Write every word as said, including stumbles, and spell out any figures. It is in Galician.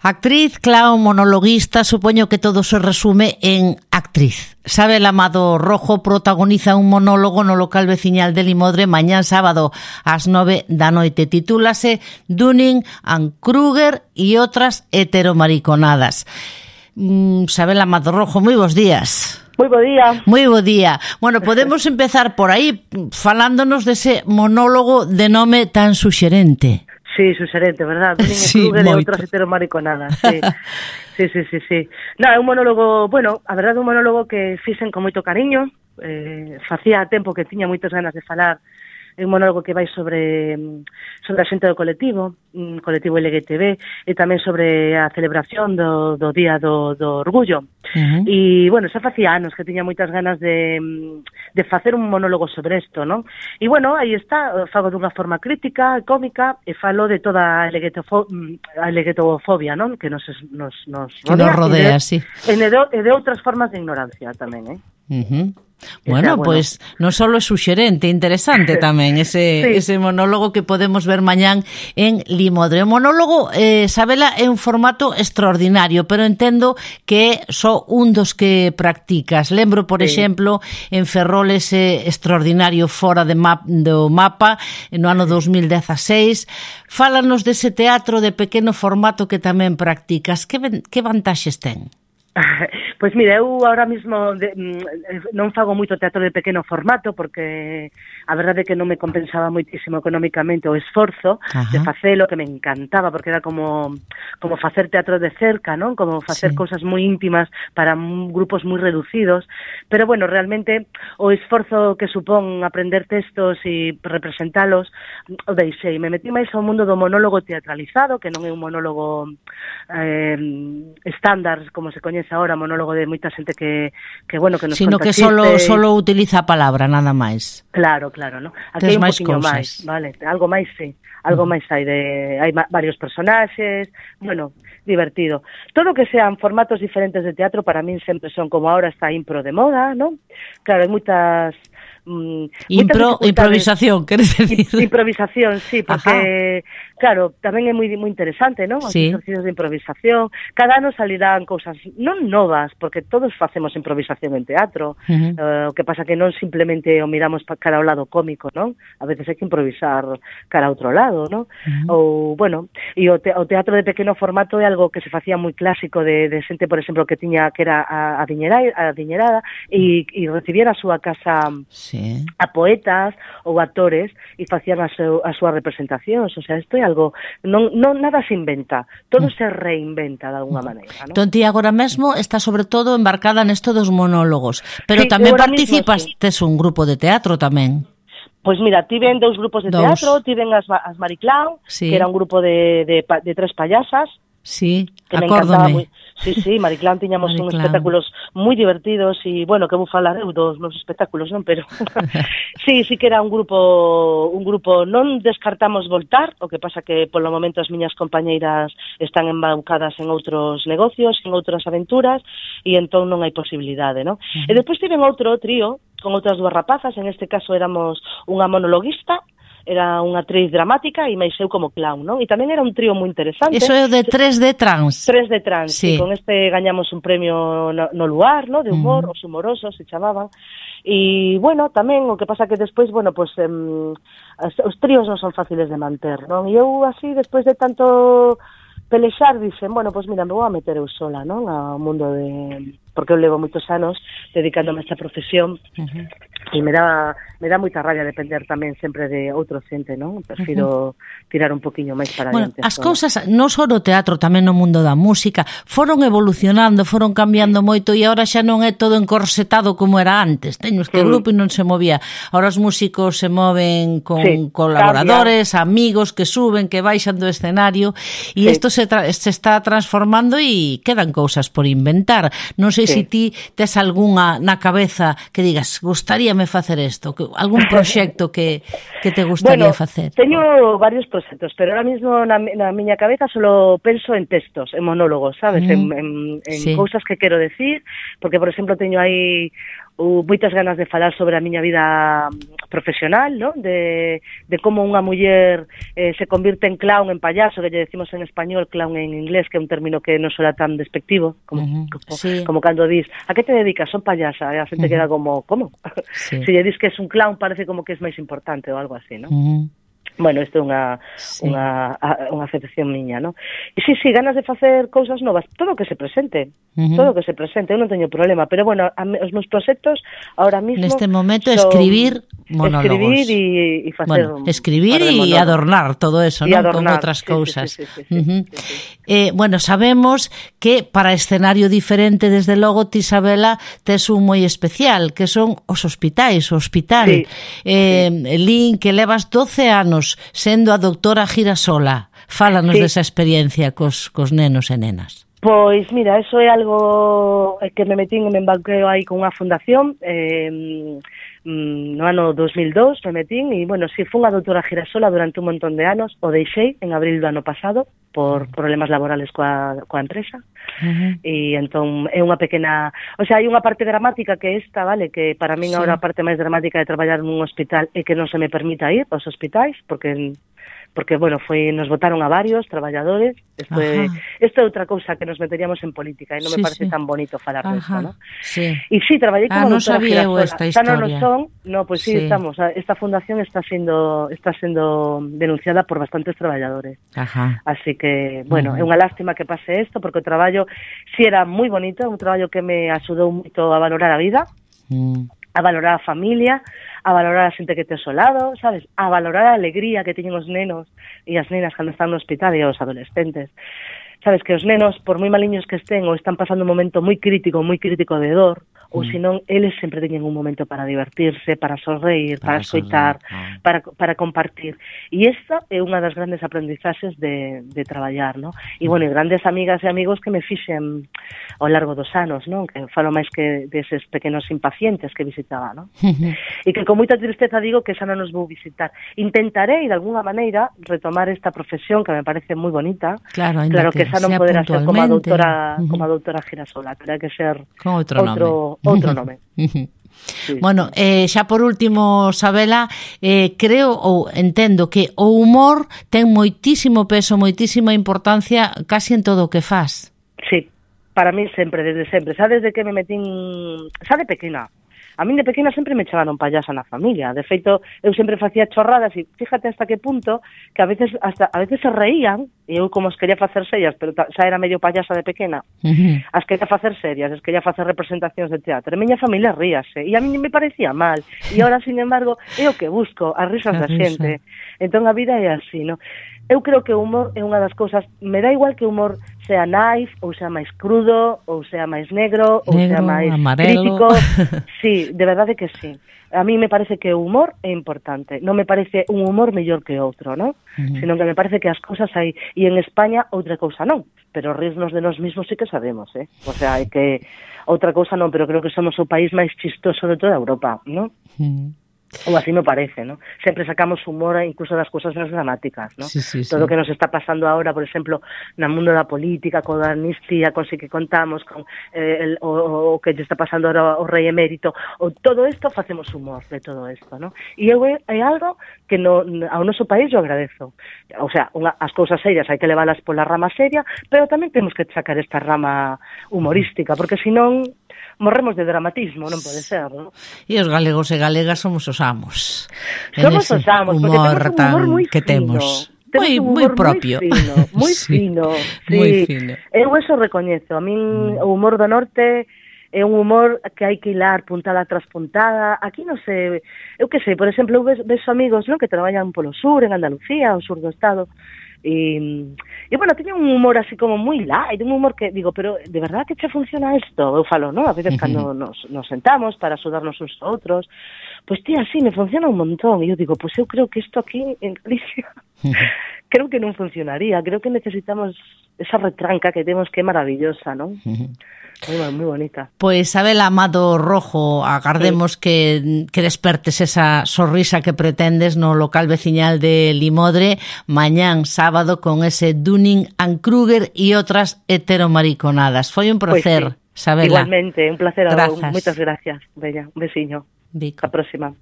Actriz, clown, monologuista, supoño que todo se resume en actriz. Sabel Amado Rojo protagoniza un monólogo no local veciñal de Limodre mañán sábado ás nove da noite. Titúlase Dunning and Kruger e outras heteromariconadas. Mm, Sabel Amado Rojo, moi bons días. Moi bo día. Moi bo día. Bueno, podemos empezar por aí falándonos dese monólogo de nome tan suxerente. Sí, suxerente, verdad? Dunning sí, and Kruger e outras heteromariconadas, sí. sí, sí, sí, sí. No, é un monólogo, bueno, a verdade é un monólogo que fixen con moito cariño, eh, facía tempo que tiña moitas ganas de falar. É un monólogo que vai sobre sobre a xente do colectivo, un colectivo L G T B, e tamén sobre a celebración do, do Día do, do Orgullo. Uh-huh. E, bueno, xa facía anos que tiña moitas ganas de, de facer un monólogo sobre isto, non? E, bueno, aí está, fago dunha forma crítica, cómica, e falo de toda a LGTBofobia, non? Que nos, nos, nos rodea. Que nos rodea, de, sí. E de, e de outras formas de ignorancia tamén, eh? Uh-huh. Bueno, bueno, pois pues, non só é suxerente, interesante tamén ese, sí. ese monólogo que podemos ver mañán en Limodre. O monólogo, eh, Sabela, é un formato extraordinario, pero entendo que é só un dos que practicas. Lembro, por sí. exemplo, en Ferrol ese extraordinario fora de map, do mapa no ano dos mil dezaseis. Fálanos dese teatro de pequeno formato que tamén practicas. Que, que vantaxes ten? Pois mira, eu ahora mismo de, non fago moito teatro de pequeno formato porque a verdade é que non me compensaba moitísimo económicamente o esforzo Ajá. de facelo, que me encantaba porque era como como facer teatro de cerca, non? Como facer sí. cousas moi íntimas para grupos moi reducidos, pero bueno, realmente o esforzo que supón aprender textos e representalos o deixei, me metí máis ao mundo do monólogo teatralizado, que non é un monólogo eh, estándar como se coñece ahora, monólogo de moita xente que, que bueno, que nos sino conta que solo, solo utiliza a palabra, nada máis. Claro, claro, ¿no? Aquí hai un poquinho máis, vale, algo máis, sí, algo máis hai de, hai varios personaxes, bueno, divertido. Todo que sean formatos diferentes de teatro para min sempre son como ahora está impro de moda, ¿no? Claro, hai moitas Mm, Impro, improvisación, queres decir? Improvisación, sí, porque Ajá. claro, tamén é moi moi interesante, non? Os sí. exercicios de improvisación. Cada ano salirán cousas non novas, porque todos facemos improvisación en teatro. Uh-huh. Uh, o que pasa que non simplemente o miramos cara ao lado cómico, non? A veces hai que improvisar cara a outro lado, non? Uh-huh. Ou, bueno, e o, te, o teatro de pequeno formato é algo que se facía moi clásico de, de xente, por exemplo, que tiña que era a, a, diñera, a diñerada e, e recibiera a súa casa sí. a poetas ou actores e facían as, seu, as súas representacións. O sea, isto é algo, non, non nada se inventa, todo mm. se reinventa de alguna maneira, non? Entón ti agora mesmo está sobre todo embarcada nesto dos monólogos, pero sí, tamén participas, mismo, sí. tes un grupo de teatro tamén. Pois mira, tiven dous grupos de dous. teatro, tiven as, as Mariclán, sí. que era un grupo de, de, de tres payasas. Sí, que me acórdome. encantaba moi. Sí, sí, Mariclán tiñamos uns espectáculos moi divertidos e, bueno, que vou falar eu dos meus espectáculos, non? Pero sí, sí que era un grupo un grupo, non descartamos voltar, o que pasa que polo momento as miñas compañeiras están embaucadas en outros negocios, en outras aventuras e entón non hai posibilidade, non? Uh-huh. E despois tiven outro trío con outras dúas rapazas, en este caso éramos unha monologuista, era unha actriz dramática e máis eu como clown, non? E tamén era un trío moi interesante. Eso é de tres D Trans. tres D Trans, sí. E con este gañamos un premio no, no lugar, no? De humor, uh-huh. os humorosos se chamaban. E, bueno, tamén o que pasa que despois, bueno, pues, em, os tríos non son fáciles de manter, non? E eu así, despois de tanto pelexar, dixen, bueno, pues mira, me vou a meter eu sola, non? Ao mundo de... porque eu levo moitos anos dedicándome a esta profesión uh-huh. e me dá me dá moita rabia depender tamén sempre de outro xente, non? Prefiro uh-huh. tirar un poquinho máis para bueno, adiante. As cousas, non só no teatro, tamén no mundo da música, foron evolucionando, foron cambiando moito e agora xa non é todo encorsetado como era antes. Teño este uh-huh. grupo e non se movía. Agora os músicos se moven con sí, colaboradores, cambia. Amigos que suben, que baixan do escenario e isto sí. se, tra- se está transformando e quedan cousas por inventar. Non sei sí. se ti tes algunha na cabeza que digas, gustaríame facer isto, que algún proxecto que, que te gustaría bueno, facer? Teño varios proxectos, pero ahora mismo na, na miña cabeza solo penso en textos, en monólogos, sabes? Mm, en en, en sí. cousas que quero decir, porque, por exemplo, teño aí uh, moitas ganas de falar sobre a miña vida profesional, ¿no? De, de como unha muller eh, se convirte en clown, en payaso, que lle decimos en español, clown en inglés, que é un término que non suena tan despectivo, como, uh-huh. como, sí. como cando dis, a que te dedicas? Son payasa, e a xente uh-huh. queda como, como? Sí. Se lle dis que es un clown, parece como que es máis importante ou algo así, ¿no? Uh-huh. Bueno, isto é unha, sí. unha, unha aceptación miña, non? E sí, sí, ganas de facer cousas novas, todo o que se presente, uh-huh. todo o que se presente, eu non teño problema, pero bueno, a, os meus proxectos ahora mismo... Neste momento escribir monólogos. Escribir e, e facer... Bueno, escribir e adornar todo eso, non? Con outras cousas. Sí, sí, sí, sí, uh-huh. sí, sí, sí. Eh, bueno, sabemos que para escenario diferente, desde logo, ti, Isabela, tes un moi especial, que son os hospitais, o hospital. Sí, eh, sí. Lín, que levas doce anos sendo a doutora Girasola. Fálanos sí. desa experiencia cos, cos nenos e nenas. Pois, mira, eso é algo que me metín e me embarqueo aí con unha fundación eh, no ano dos mil dous, me metín e, bueno, si fui unha doutora Girasola durante un montón de anos, o deixei en abril do ano pasado por problemas laborales coa, coa empresa. Uh-huh. E entón é unha pequena, o sea, hai unha parte dramática que esta, vale, que para min sí. agora a parte máis dramática de traballar nun hospital é que non se me permita ir aos hospitais, porque porque, bueno, foi, nos votaron a varios traballadores. Isto é, isto é outra cousa que nos meteríamos en política e non sí, me parece sí. tan bonito falar de isto, ¿no? Sí. E sí, traballei como ah, doutora Girasola. Xa non nos son, no, pois pues sí, sí, estamos, esta fundación está sendo está sendo denunciada por bastantes traballadores. Ajá. Así que, bueno, uh-huh. é unha lástima que pase isto, porque o traballo si era moi bonito, un traballo que me axudou moito a valorar a vida, uh-huh. a valorar a familia, a valorar a xente que te ao lado, sabes? A valorar a alegría que teñen os nenos e as nenas cando están no hospital e os adolescentes. Sabes que os nenos, por moi maliños que estén, ou están pasando un momento moi crítico, moi crítico de dor, ou mm. senón, eles sempre teñen un momento para divertirse, para sonreír, para, para escoitar, ah. para, para compartir. E esta é unha das grandes aprendizaxes de, de traballar, ¿no? E, bueno, e grandes amigas e amigos que me fixen ao largo dos anos, non? Que falo máis que deses pequenos impacientes que visitaba, non? E que con moita tristeza digo que xa non nos vou visitar. Intentarei, de alguna maneira, retomar esta profesión que me parece moi bonita. Claro, claro que xa non poderá ser como a doutora, uh-huh. como a doutora Girasola, terá que ser con outro, outro nome. Outro nome. Sí. Bueno, eh, xa por último, Isabela, eh, creo ou entendo que o humor ten moitísimo peso, moitísima importancia casi en todo o que faz. Sí, para mí sempre, desde sempre. Xa desde que me metín, xa de pequena. A min de pequena sempre me chamaron payasa na familia. De feito, eu sempre facía chorradas e fíjate hasta que punto que a veces hasta a veces se reían e eu como os quería facer serias, pero xa era medio payasa de pequena. Uh-huh. As quería facer serias, as quería facer representacións de teatro. E a miña familia ríase e a mí me parecía mal. E agora, sin embargo, é o que busco, as risas da xente. Entón a vida é así, non? Eu creo que o humor é unha das cousas, me dá igual que o humor sea naif, ou sea máis crudo, ou sea máis negro, ou negro, sea máis amarelo. Crítico. Sí, de verdade que sí. A mí me parece que o humor é importante. Non me parece un humor mellor que outro, ¿no? Uh-huh. Sino que me parece que as cousas hai... E en España outra cousa non. Pero rirnos de nós mismos sí que sabemos, ¿eh? O sea, hai que... Outra cousa non, pero creo que somos o país máis chistoso de toda Europa, ¿no? Uh-huh. Ou así me parece, ¿no? Sempre sacamos humor incluso das cousas máis dramáticas, ¿no? Sí, sí, sí. Todo o que nos está pasando ahora, por exemplo, no mundo da política, con a amnistía, con si que contamos, con eh, el, o, o que lle está pasando ahora o rei emérito, o todo isto facemos humor de todo isto, ¿no? E eu é, é algo que no, ao noso país yo agradezo. O sea, unha, as cousas serias hai que leválas pola rama seria, pero tamén temos que sacar esta rama humorística, porque senón morremos de dramatismo, non pode ser, non? E os galegos e galegas somos os amos. Somos os amos, porque temos un humor moi fino. Temos. Moi, moi propio. Moi fino, moi sí, fino. Sí. Moi fino. Eu eso recoñezo. A min mm. o humor do norte é un humor que hai que hilar puntada tras puntada. Aquí non sei, eu que sei, por exemplo, eu ves amigos, non, que traballan polo sur, en Andalucía, o sur do estado, e, e bueno, teño un humor así como moi light, un humor que digo, pero de verdad que che funciona isto? Eu falo, non? A veces cando nos, nos sentamos para axudarnos uns a outros, pois tía, así me funciona un montón, e eu digo, pois eu creo que isto aquí en Galicia creo que non funcionaría, creo que necesitamos esa retranca que temos que é maravillosa, non? Moi, moi bonita. Pois, Isabela Amado Rojo, agardemos sí. que, que despertes esa sorrisa que pretendes no local veciñal de Limodre mañán sábado con ese Dunning and Kruger e outras heteromariconadas. Foi un placer. Pues sí. Sabela. Igualmente, un placer. Grazas. Moitas gracias. Bella, un besiño. Vico. A próxima.